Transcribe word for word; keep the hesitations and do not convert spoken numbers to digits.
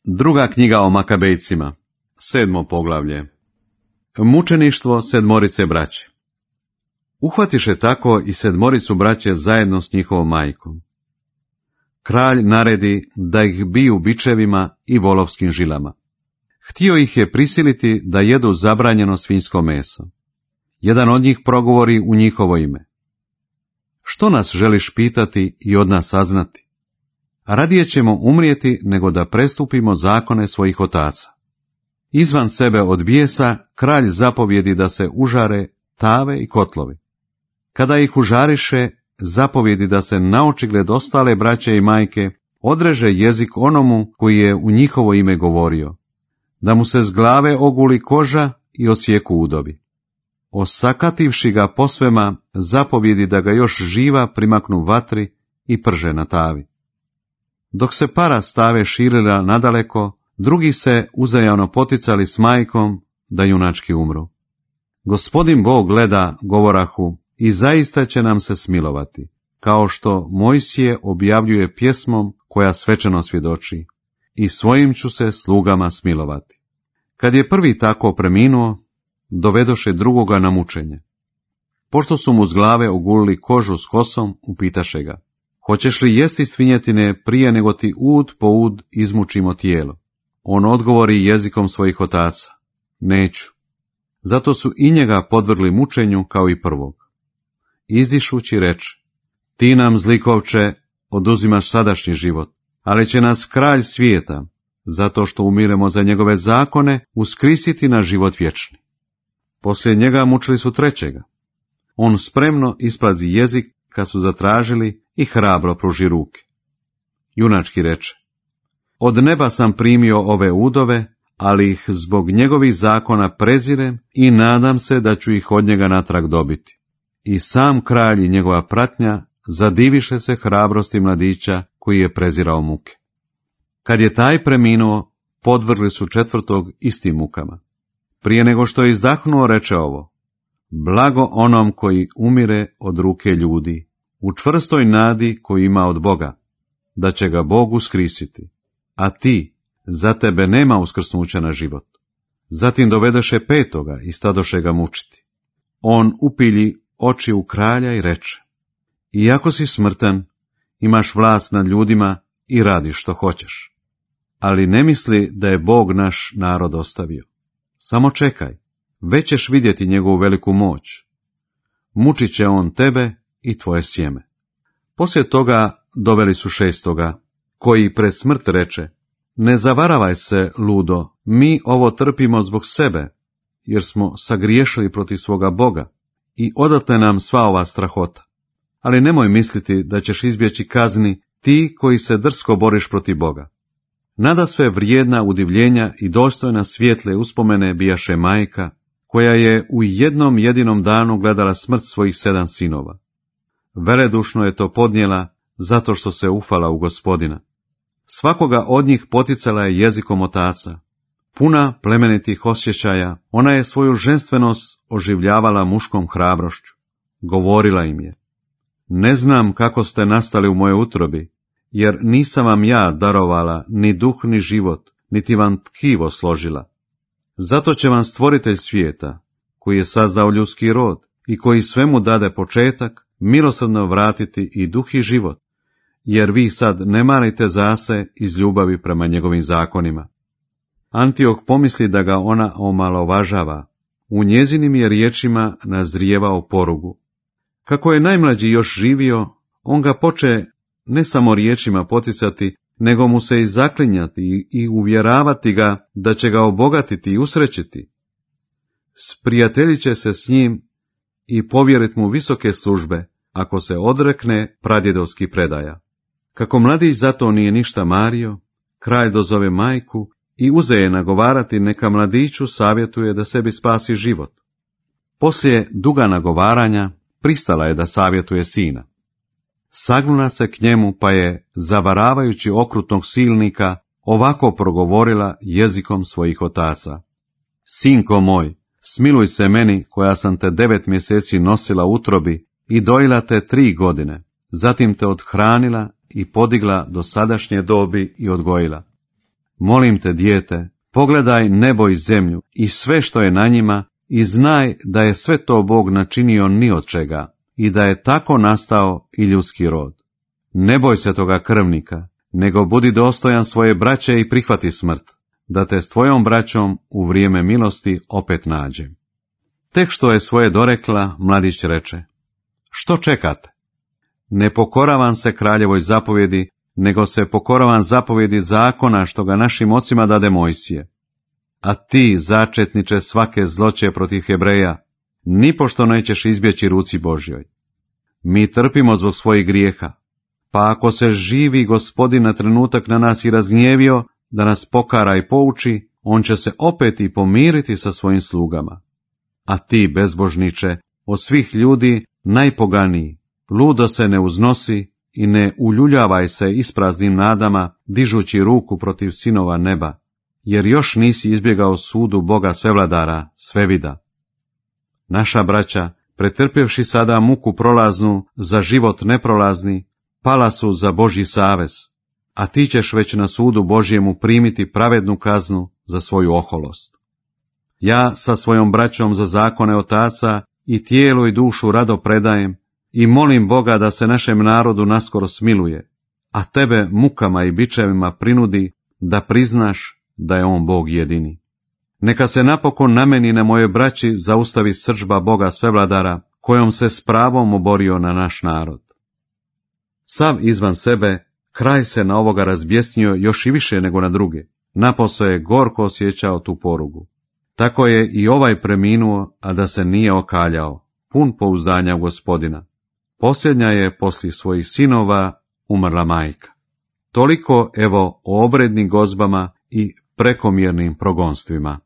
Druga knjiga o Makabejcima, sedmo poglavlje. Mučeništvo sedmorice braće. Uhvatiše tako i sedmoricu braće zajedno s njihovom majkom. Kralj naredi da ih biju bičevima i volovskim žilama. Htio ih je prisiliti da jedu zabranjeno svinjsko meso. Jedan od njih progovori u njihovo ime. Što nas želiš pitati i od nas saznati? Radije ćemo umrijeti nego da prestupimo zakone svojih otaca. Izvan sebe od bijesa, kralj zapovjedi da se užare tave i kotlovi. Kada ih užariše, zapovjedi da se naočigled ostale braće i majke odreže jezik onomu koji je u njihovo ime govorio, da mu se s glave oguli koža i osjeku udovi. Osakativši ga posvema, zapovjedi da ga još živa primaknu vatri i prže na tavi. Dok se para stave širila nadaleko, drugi se uzajamno poticali s majkom da junački umru. Gospodin Bog gleda, govorahu, i zaista će nam se smilovati, kao što Mojsije objavljuje pjesmom koja svečano svjedoči, i svojim ću se slugama smilovati. Kad je prvi tako preminuo, dovedoše drugoga na mučenje. Pošto su mu s glave ogulili kožu s kosom, upitaše ga, hoćeš li jesti svinjetine prije nego ti ud po ud izmučimo tijelo? On odgovori jezikom svojih otaca, neću. Zato su i njega podvrgli mučenju kao i prvog. Izdišući reče, ti nam, zlikovče, oduzimaš sadašnji život, ali će nas kralj svijeta, zato što umiremo za njegove zakone, uskrisiti na život vječni. Poslije njega mučili su trećega. On spremno isplazi jezik kad su zatražili i hrabro pruži ruke. Junački reče, od neba sam primio ove udove, ali ih zbog njegovih zakona prezirem i nadam se da ću ih od njega natrag dobiti. I sam kralj i njegova pratnja zadiviše se hrabrosti mladića koji je prezirao muke. Kad je taj preminuo, podvrgli su četvrtog istim mukama. Prije nego što je izdahnuo, reče ovo, blago onom koji umire od ruke ljudi, u čvrstoj nadi koju ima od Boga, da će ga Bog uskrisiti, a ti, za tebe nema uskrsnuća na život. Zatim dovedeše petoga i stadoše ga mučiti. On upilji oči u kralja i reče, iako si smrtan, imaš vlast nad ljudima i radiš što hoćeš. Ali ne misli da je Bog naš narod ostavio. Samo čekaj, već ćeš vidjeti njegovu veliku moć. Mučit će on tebe i tvoje sjeme. Poslije toga doveli su šestoga, koji pred smrt reče, ne zavaravaj se, ludo, mi ovo trpimo zbog sebe, jer smo sagriješili protiv svoga Boga i odatle nam sva ova strahota. Ali nemoj misliti da ćeš izbjeći kazni ti koji se drsko boriš protiv Boga. Nadasve vrijedna udivljenja i dostojna svijetle uspomene bijaše majka, koja je u jednom jedinom danu gledala smrt svojih sedam sinova. Veledušno je to podnijela zato što se ufala u Gospodina. Svakoga od njih poticala je jezikom otaca. Puna plemenitih osjećaja, ona je svoju ženstvenost oživljavala muškom hrabrošću. Govorila im je, ne znam kako ste nastali u mojoj utrobi, jer nisam vam ja darovala ni duh ni život, niti vam tkivo složila. Zato će vam stvoritelj svijeta, koji je sazdao ljudski rod i koji svemu dade početak, milosrdno vratiti i duh i život, jer vi sad ne marite zase iz ljubavi prema njegovim zakonima. Antioh pomisli da ga ona omalovažava, u njezinim je riječima nazrijevao porugu. Kako je najmlađi još živio, on ga poče ne samo riječima poticati, nego mu se i zaklinjati i uvjeravati ga da će ga obogatiti i usrećiti. Sprijateljit će se s njim i povjerit mu visoke službe, ako se odrekne pradjedovskih predaja. Kako mladić zato nije ništa mario, kralj dozove majku i uze je nagovarati neka mladiću savjetuje da sebi spasi život. Poslije duga nagovaranja pristala je da savjetuje sina. Sagnula se k njemu pa je, zavaravajući okrutnog silnika, ovako progovorila jezikom svojih otaca. Sinko moj, smiluj se meni koja sam te devet mjeseci nosila u utrobi i dojila te tri godine, zatim te odhranila i podigla do sadašnje dobi i odgojila. Molim te, dijete, pogledaj nebo i zemlju i sve što je na njima i znaj da je sve to Bog načinio ni od čega i da je tako nastao i ljudski rod. Ne boj se toga krvnika, nego budi dostojan svoje braće i prihvati smrt, da te s tvojom braćom u vrijeme milosti opet nađem. Tek što je svoje dorekla, mladić reče: Što čekate? Ne pokoravam se kraljevoj zapovjedi, nego se pokoravam zapovjedi zakona što ga našim ocima dade Mojsije. A ti, začetniče svake zloće protiv Hebreja, nipošto nećeš izbjeći ruci Božjoj. Mi trpimo zbog svojih grijeha, pa ako se živi Gospodin na trenutak na nas i razgnjevio da nas pokara i pouči, on će se opet i pomiriti sa svojim slugama. A ti, bezbožniče, od svih ljudi najpoganiji, ludo se ne uznosi i ne uljuljavaj se ispraznim nadama, dižući ruku protiv sinova neba, jer još nisi izbjegao sudu Boga svevladara, svevida. Naša braća, pretrpjevši sada muku prolaznu za život neprolazni, pala su za Božji savez, a ti ćeš već na sudu Božjemu primiti pravednu kaznu za svoju oholost. Ja sa svojom braćom za zakone otaca i tijelo i dušu rado predajem i molim Boga da se našem narodu naskoro smiluje, a tebe mukama i bičevima prinudi da priznaš da je on Bog jedini. Neka se napokon na meni i na mojoj braći zaustavi srdžba Boga svevladara, kojom se s pravom oborio na naš narod. Sav izvan sebe, kraj se na ovoga razbjesnio još i više nego na druge, napose je gorko osjećao tu porugu. Tako je i ovaj preminuo, a da se nije okaljao, pun pouzdanja u Gospodina. Posljednja je poslije svojih sinova umrla majka. Toliko evo o obrednim gozbama i prekomjernim progonstvima.